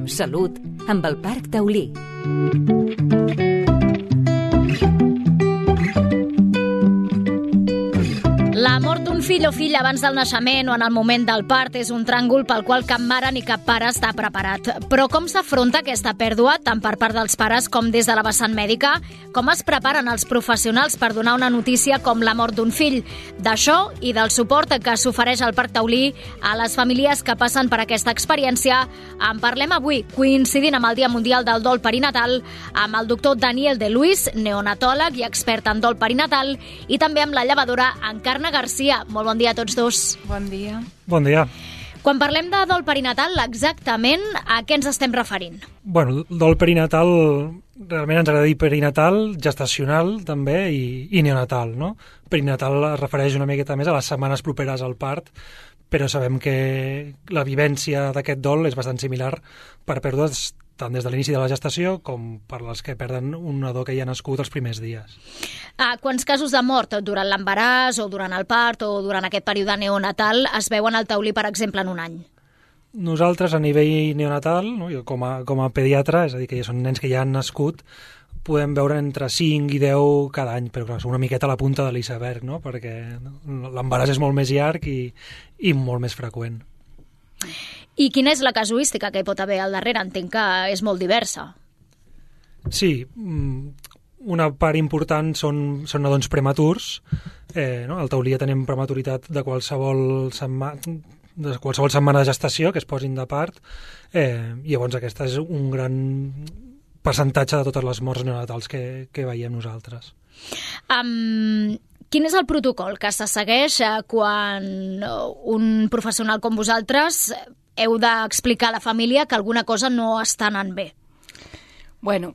Salut amb el Parc Taulí. La mort d'un fill o filla abans del naixement o en el moment del part és un tràngol pel qual cap mare ni cap pare està preparat. Però com s'afronta aquesta pèrdua, tant per part dels pares com des de la vessant mèdica? Com es preparen els professionals per donar una notícia com la mort d'un fill? D'això i del suport que s'ofereix al Parc Taulí a les famílies que passen per aquesta experiència en parlem avui, coincidint amb el Dia Mundial del Dol Perinatal, amb el doctor Daniel de Luis, neonatòleg i expert en dol perinatal, i també amb la llevadora Encarna Garcia. Molt bon dia a tots dos. Bon dia. Bon dia. Quan parlem de dol perinatal, exactament a què ens estem referint? Bueno, dol perinatal, realment ens agrada dir perinatal, gestacional també i neonatal, no? Perinatal es refereix una miqueta més a les setmanes properes al part, però sabem que la vivència d'aquest dol és bastant similar per pèrdues tant des de l'inici de la gestació com per les que perden un nadó que ja ha nascut els primers dies. Quants casos de mort durant l'embaràs o durant el part o durant aquest període neonatal es veuen al Taulí, per exemple, en un any? Nosaltres, a nivell neonatal, no, jo com a pediatra, és a dir, que ja són nens que ja han nascut, podem veure entre 5 i 10 cada any, però clar, és una miqueta a la punta de l'iceberg, no? Perquè l'embaràs és molt més llarg i molt més freqüent. I quina és la casuística que hi pot haver al darrere? Entenc que és molt diversa. Sí, una part important són nadons prematurs. No? Al Taulí ja tenim prematuritat de qualsevol setmana de gestació que es posin de part. Llavors aquesta és un gran percentatge de totes les morts neonatals que veiem nosaltres. Quin és el protocol que se segueix quan un professional com vosaltres heu d'explicar a la família que alguna cosa no està anant bé? Bueno,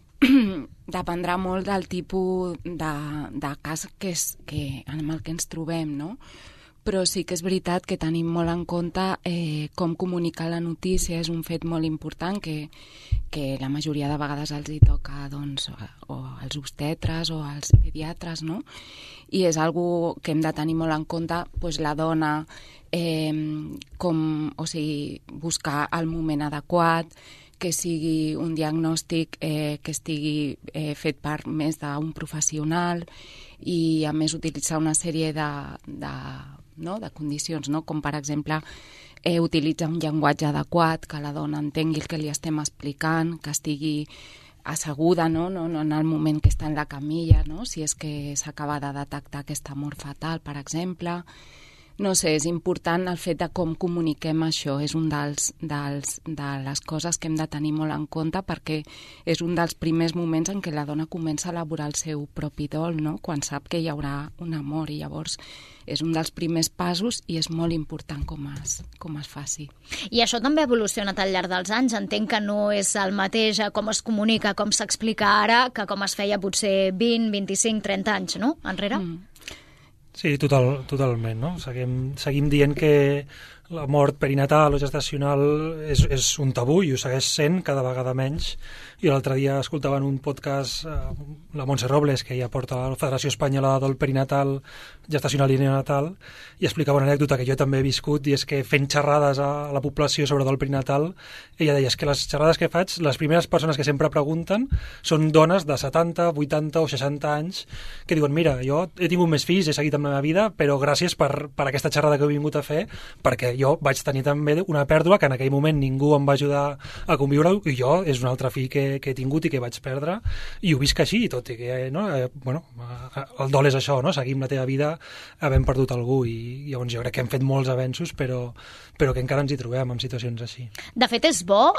dependrà molt del tipus de cas amb el que ens trobem, no? Però sí que és veritat que tenim molt en compte com comunicar la notícia. És un fet molt important que la majoria de vegades els hi toca doncs, o als obstetres o als pediatres, no? I és algo que hem de tenir molt en compte, doncs, la dona, buscar el moment adequat, que sigui un diagnòstic que estigui fet per més d'un professional i, a més, utilitzar una sèrie de condicions, no? Com, per exemple, utilitzar un llenguatge adequat, que la dona entengui el que li estem explicant, que estigui asseguda, no en el moment que està en la camilla, no? Si és que s'acaba de detectar aquesta mort fetal, per exemple. No sé, és important el fet de com comuniquem això, és un de les coses que hem de tenir molt en compte, perquè és un dels primers moments en què la dona comença a elaborar el seu propi dol, no? Quan sap que hi haurà una mort, i llavors és un dels primers passos i és molt important com es faci. I això també ha evolucionat al llarg dels anys. Entenc que no és el mateix com es comunica, com s'explica ara, que com es feia potser 20, 25, 30 anys, no? Enrere? Sí, totalment, no? Seguim dient que la mort perinatal o gestacional és un tabú i ho segueix sent cada vegada menys. Jo l'altre dia escoltava en un podcast la Montse Robles, que ja porta la Federació Espanyola de Dol Perinatal, Gestacional i Neonatal, i explicava una anècdota que jo també he viscut, i és que fent xerrades a la població sobre dol perinatal, ella deia que les xerrades que faig, les primeres persones que sempre pregunten són dones de 70, 80 o 60 anys que diuen, mira, jo he tingut més fills, he seguit amb la meva vida, però gràcies per aquesta xerrada que he vingut a fer, perquè jo vaig tenir també una pèrdua que en aquell moment ningú em va ajudar a conviure, i jo és un altre fill que he tingut i que vaig perdre, i ho visc així, tot i que el dol és això, no? Seguim la teva vida havent perdut algú, i llavors jo crec que hem fet molts avenços, però que encara ens hi trobem en situacions així. De fet, és bo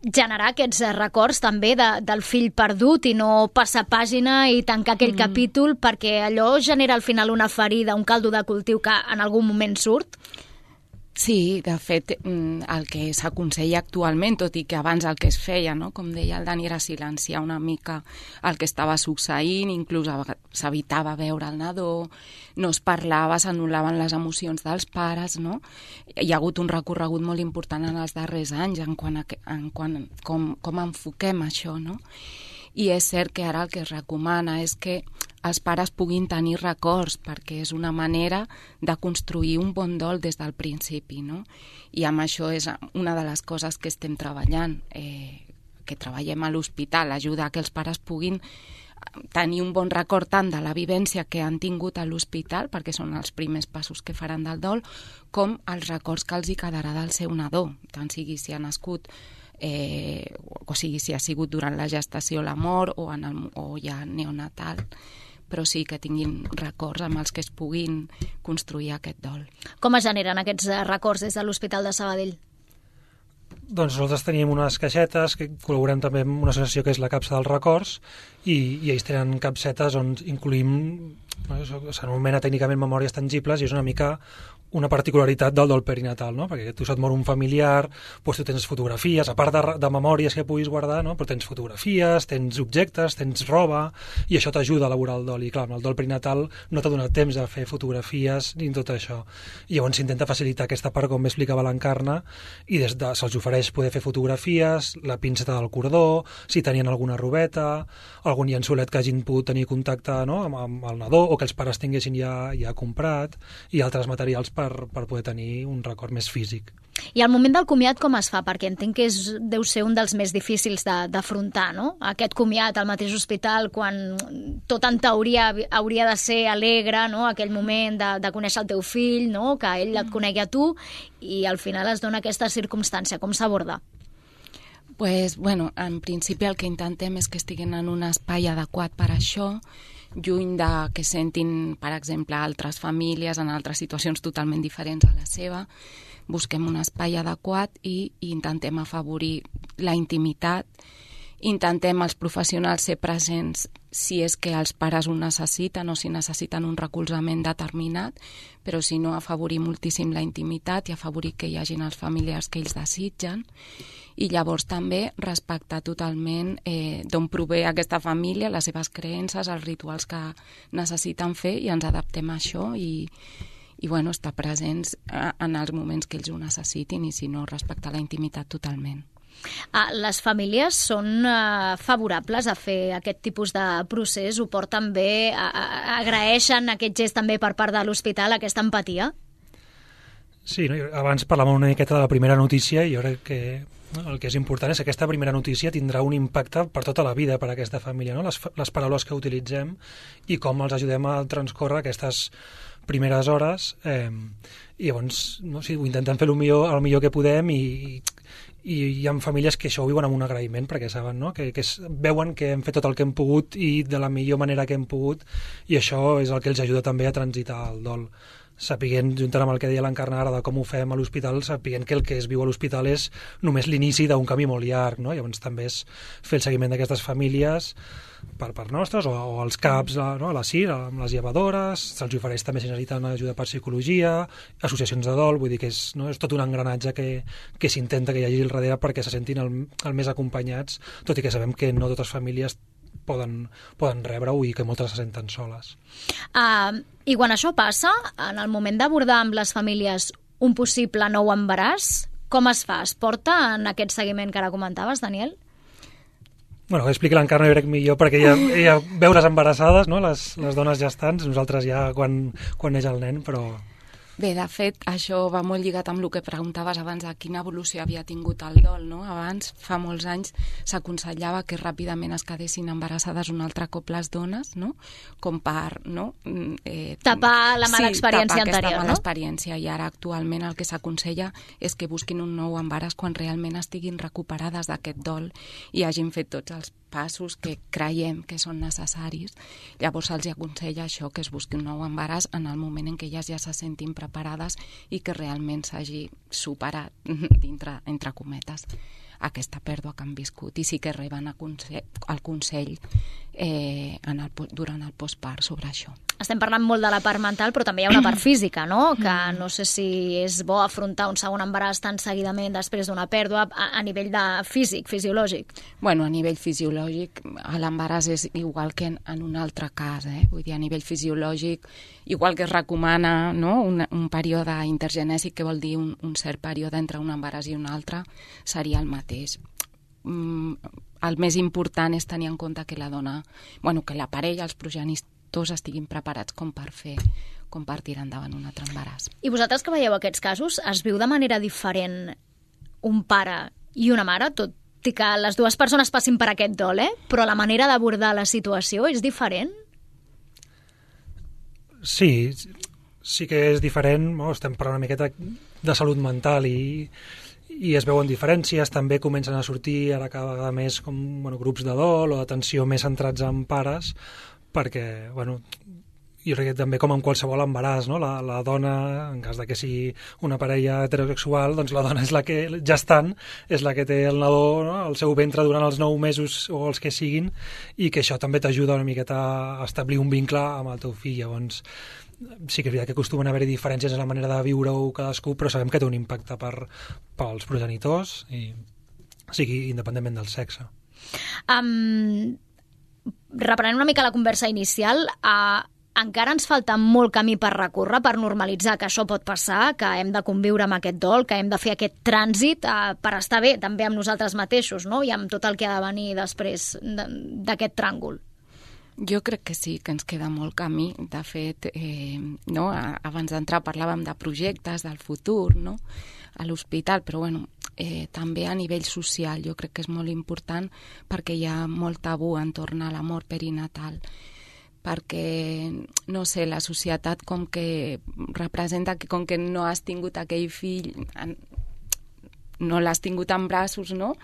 generar aquests records també del fill perdut i no passar pàgina i tancar aquell capítol, perquè allò genera al final una ferida, un caldo de cultiu que en algun moment surt. Sí, de fet, el que s'aconsella actualment, tot i que abans el que es feia, no? Com deia el Dani, era silenciar una mica el que estava succeint, inclús s'evitava veure el nadó, no es parlava, s'anul·laven les emocions dels pares, no? Hi ha hagut un recorregut molt important en els darrers anys en quant com enfoquem això, no? I és cert que ara el que es recomana és que els pares puguin tenir records, perquè és una manera de construir un bon dol des del principi, no? I amb això és una de les coses que estem treballant, que treballem a l'hospital, ajudar que els pares puguin tenir un bon record tant de la vivència que han tingut a l'hospital, perquè són els primers passos que faran del dol, com els records que els hi quedarà del seu nadó, tant sigui si ha nascut, o sigui si ha sigut durant la gestació, la mort o ja neonatal, però sí que tinguin records amb els que es puguin construir aquest dol. Com es generen aquests records des de l'Hospital de Sabadell? Doncs nosaltres tenim unes caixetes que col·laborem també amb una associació que és la Capsa dels Records i ells tenen capsetes on incluïm, s'anomena tècnicament memòries tangibles i és una mica una particularitat del dol perinatal, no? Perquè tu se't mor un familiar, doncs tu tens fotografies, a part de memòries que puguis guardar, no? Però tens fotografies, tens objectes, tens roba, i això t'ajuda a elaborar el dol. I clar, amb el dol perinatal no t'ha donat temps de fer fotografies ni tot això. I llavors s'intenta facilitar aquesta part, com m'explicava l'Encarna, i se'ls ofereix poder fer fotografies, la pinceta del cordó, si tenien alguna robeta, algun llençolet que hagin pogut tenir contacte, no? amb el nadó, o que els pares tinguessin ja comprat, i altres materials per poder tenir un record més físic. I al moment del comiat com es fa? Perquè entenc que deu ser un dels més difícils d'afrontar, no? Aquest comiat al mateix hospital, quan tot en teoria hauria de ser alegre, no? Aquell moment de conèixer el teu fill, no? Que ell et conegui a tu, i al final es dona aquesta circumstància. Com s'aborda? Pues, bueno, en principi el que intentem és que estiguin en un espai adequat per això, lluny de que sentin, per exemple, altres famílies en altres situacions totalment diferents a la seva. Busquem un espai adequat i intentem afavorir la intimitat. Intentem els professionals ser presents si és que els pares ho necessiten o si necessiten un recolzament determinat, però si no, afavorir moltíssim la intimitat i afavorir que hi hagin els familiars que ells desitgen. I llavors també respectar totalment d'on prové aquesta família, les seves creences, els rituals que necessiten fer, i ens adaptem a això i bueno, estar presents en els moments que ells ho necessitin, i si no, respectar la intimitat totalment. Les famílies són favorables a fer aquest tipus de procés? Ho porten bé? Agraeixen aquest gest també per part de l'hospital, aquesta empatia? Sí, no? Abans parlàvem una miqueta de la primera notícia i jo crec que el que és important és que aquesta primera notícia tindrà un impacte per tota la vida per a aquesta família, no? Les paraules que utilitzem i com els ajudem a transcórrer aquestes primeres hores, i llavors ho intentem fer el millor que podem, i hi ha famílies que això ho viuen amb un agraïment perquè saben, no? que veuen que hem fet tot el que hem pogut i de la millor manera que hem pogut, i això és el que els ajuda també a transitar el dol. Sapiguent, juntament amb el que deia l'Encarna ara de com ho fem a l'hospital, sapiguent que el que es viu a l'hospital és només l'inici d'un camí molt llarg, no? Llavors també és fer el seguiment d'aquestes famílies per part nostres, o els CAPs, no? A la CIR, amb les llevadores, se'ls ofereix també si necessiten ajuda per psicologia, associacions de dol, vull dir que és tot un engranatge que s'intenta que hi hagi al darrere perquè se sentin el més acompanyats, tot i que sabem que no totes les famílies poden rebre-ho i que moltes se senten soles. I quan això passa, en el moment d'abordar amb les famílies un possible nou embaràs, com es fa? Es porta en aquest seguiment que ara comentaves, Daniel? Bueno, expliqui l'Encarna, jo crec millor, perquè ella veu les embarassades, no? Les dones gestants, nosaltres ja quan neix el nen, però... Bé, de fet, això va molt lligat amb el que preguntaves abans de quina evolució havia tingut el dol, no? Abans, fa molts anys, s'aconsellava que ràpidament es quedessin embarassades un altre cop les dones, no? Com per, no? Tapar la mala experiència anterior, no? Tapar aquesta mala experiència, i ara actualment el que s'aconsella és que busquin un nou embaràs quan realment estiguin recuperades d'aquest dol i hagin fet tots els passos que creiem que són necessaris. Llavors se'ls aconsella això, que es busqui un nou embaràs en el moment en què elles ja se sentin preparades i que realment s'hagi superat, entre cometes, aquesta pèrdua que han viscut, i sí que reben el consell durant el postpart sobre això. Estem parlant molt de la part mental, però també hi ha una part física, no? Que no sé si és bo afrontar un segon embaràs tan seguidament després d'una pèrdua a nivell de fisiològic. Bueno, a nivell fisiològic l'embaràs és igual que en un altre cas, Vull dir, a nivell fisiològic, igual que es recomana, no? un període intergenèsic, que vol dir un cert període entre un embaràs i un altre, seria el mateix. El més important és tenir en compte que la dona, que la parella, els progenitors tots estiguin preparats com per tirar endavant un altre embaràs. I vosaltres que veieu aquests casos, es viu de manera diferent un pare i una mare, tot i que les dues persones passin per aquest dol, però la manera d'abordar la situació és diferent? Sí que és diferent, estem parlant una miqueta de salut mental i es veuen diferències, també comencen a sortir ara cada vegada més grups de dol o d'atenció més centrats en pares, perquè, jo crec que també com en qualsevol embaràs, no? La dona, en cas de que sigui una parella heterosexual, doncs la dona és la que, gestant, és la que té el nadó, no? Al seu ventre durant els 9 mesos o els que siguin, i que això també t'ajuda una miqueta a establir un vincle amb el teu fill. Llavors, sí que és veritat que acostumen a haver-hi diferències en la manera de viure-ho cadascú, però sabem que té un impacte pels progenitors, i sigui independentment del sexe. Reprenent una mica la conversa inicial, encara ens falta molt camí per recórrer, per normalitzar que això pot passar, que hem de conviure amb aquest dol, que hem de fer aquest trànsit per estar bé també amb nosaltres mateixos, no? I amb tot el que ha de venir després d'aquest tràngol. Jo crec que sí, que ens queda molt camí. De fet, abans d'entrar parlàvem de projectes, del futur, no? A l'hospital, però també a nivell social jo crec que és molt important, perquè hi ha molt tabú entorn a la mort perinatal, perquè, no sé, la societat com que representa que com que no has tingut aquell fill, no l'has tingut en braços, no?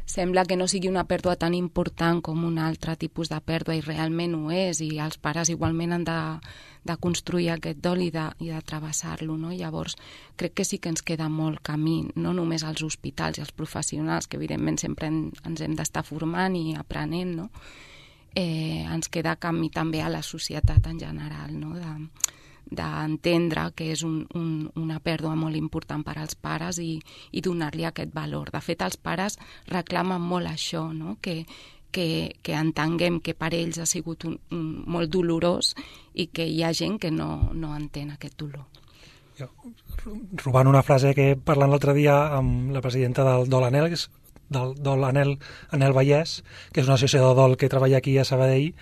Sembla que no sigui una pèrdua tan important com un altre tipus de pèrdua, i realment ho és, i els pares igualment han de construir aquest dol i de travessar-lo, no? Llavors, crec que sí que ens queda molt camí, no només als hospitals i als professionals, que evidentment sempre ens hem d'estar formant i aprenent, no? Ens queda camí també a la societat en general, no? D'entendre que és una pèrdua molt important per als pares i donar-li aquest valor. De fet, els pares reclamen molt això, no? Que entenguem que per ells ha sigut molt dolorós i que hi ha gent que no entén aquest dolor. Robant una frase que parlant l'altre dia amb la presidenta del Dol Anel, del Dol Anel Vallès, que és una associació de dol que treballa aquí a Sabadell,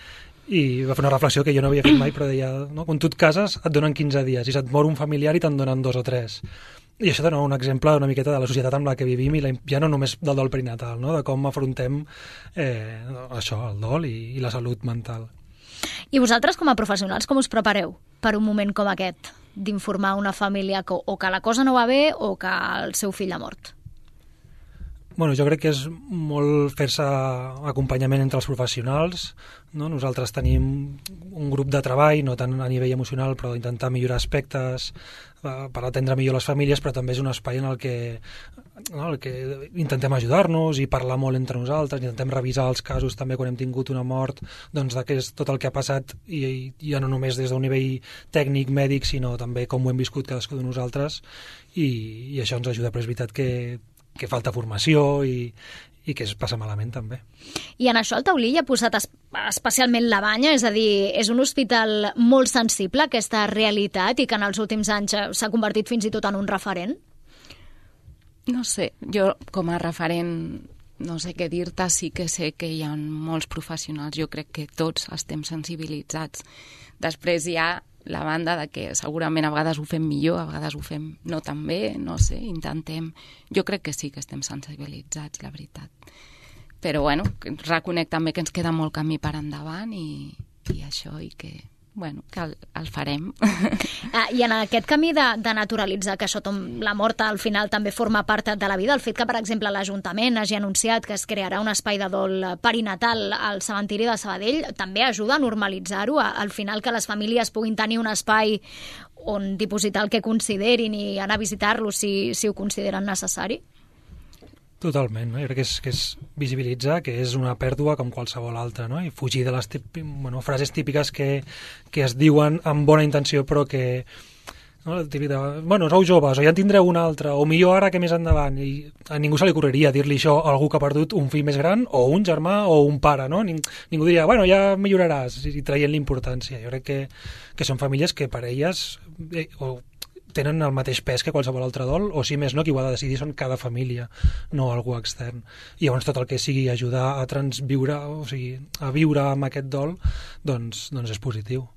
i va fer una reflexió que jo no havia fet mai, però deia, no? Quan tu et cases et donen 15 dies, i se't mor un familiar i te'n donen 2 o 3. I això dona un exemple una miqueta de la societat amb la que vivim, i ja no només del dol perinatal, no? De com afrontem això, el dol i la salut mental. I vosaltres, com a professionals, com us prepareu per un moment com aquest, d'informar una família o que la cosa no va bé o que el seu fill ha mort? Jo crec que és molt fer-se acompanyament entre els professionals, no? Nosaltres tenim un grup de treball, no tant a nivell emocional, però intentar millorar aspectes per atendre millor les famílies, però també és un espai en el que intentem ajudar-nos i parlar molt entre nosaltres, intentem revisar els casos també quan hem tingut una mort, doncs de tot el que ha passat, i ja no només des d'un nivell tècnic, mèdic, sinó també com ho hem viscut cadascú de nosaltres, i això ens ajuda, però és veritat que falta formació i que es passa malament també. I en això el Taulí hi ha posat especialment la banya, és a dir, és un hospital molt sensible a aquesta realitat i que en els últims anys s'ha convertit fins i tot en un referent? No sé, jo com a referent no sé què dir-te, sí que sé que hi ha molts professionals, jo crec que tots estem sensibilitzats. Després hi ha la banda de que segurament a vegades ho fem millor, a vegades ho fem no tan bé, no sé, intentem. Jo crec que sí que estem sensibilitzats, la veritat. Però, reconec també que ens queda molt camí per endavant i això, i que el farem. I en aquest camí de naturalitzar que això, la mort al final també forma part de la vida, el fet que, per exemple, l'Ajuntament hagi anunciat que es crearà un espai de dol perinatal al cementiri de Sabadell, també ajuda a normalitzar-ho, al final que les famílies puguin tenir un espai on dipositar el que considerin i anar a visitar-lo si ho consideren necessari? Totalment, no? Jo crec que és visibilitzar que és una pèrdua com qualsevol altra, no? I fugir de les frases típiques que es diuen amb bona intenció, però que sou joves, o ja en tindreu una altra, o millor ara que més endavant, i a ningú se li ocorreria dir-li això a algú que ha perdut un fill més gran, o un germà, o un pare, no? Ningú diria, ja milloraràs, i traient l'importància. Jo crec que són famílies que per elles tenen el mateix pes que qualsevol altre dol, o si més no, qui ho ha de decidir són cada família, no algú extern. I llavors tot el que sigui ajudar a transviure, o sigui, a viure amb aquest dol, doncs és positiu.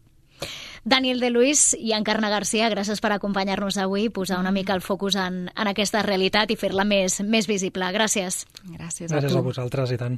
Daniel de Luis i Encarna Garcia, gràcies per acompanyar-nos avui, posar una mica el focus en aquesta realitat i fer-la més visible. Gràcies. Gràcies a tu. Gràcies a vosaltres, i tant.